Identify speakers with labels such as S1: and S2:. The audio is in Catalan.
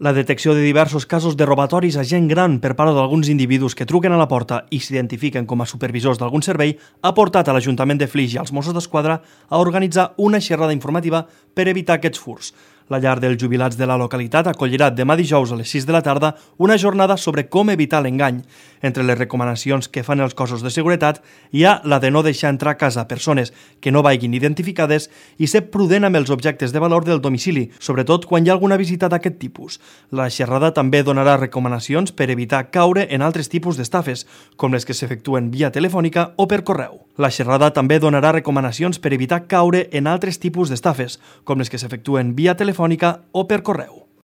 S1: La detecció de diversos casos de robatoris a gent gran per part d'alguns individus que truquen a la porta i s'identifiquen com a supervisors d'algun servei ha portat a l'Ajuntament de Flix i als Mossos d'Esquadra a organitzar una xerrada informativa per evitar aquests furts. La llar dels jubilats de la localitat acollirà demà dijous a les 6 de la tarda una jornada sobre com evitar l'engany. Entre les recomanacions que fan els cossos de seguretat hi ha la de no deixar entrar a casa persones que no vagin identificades i ser prudent amb els objectes de valor del domicili, sobretot quan hi ha alguna visita d'aquest tipus. La xerrada també donarà recomanacions per evitar caure en altres tipus d'estafes, com les que s'efectuen via telefònica o per correu. La xerrada també donarà recomanacions per evitar caure en altres tipus d'estafes, com les que s'efectuen via telefònica o per correu.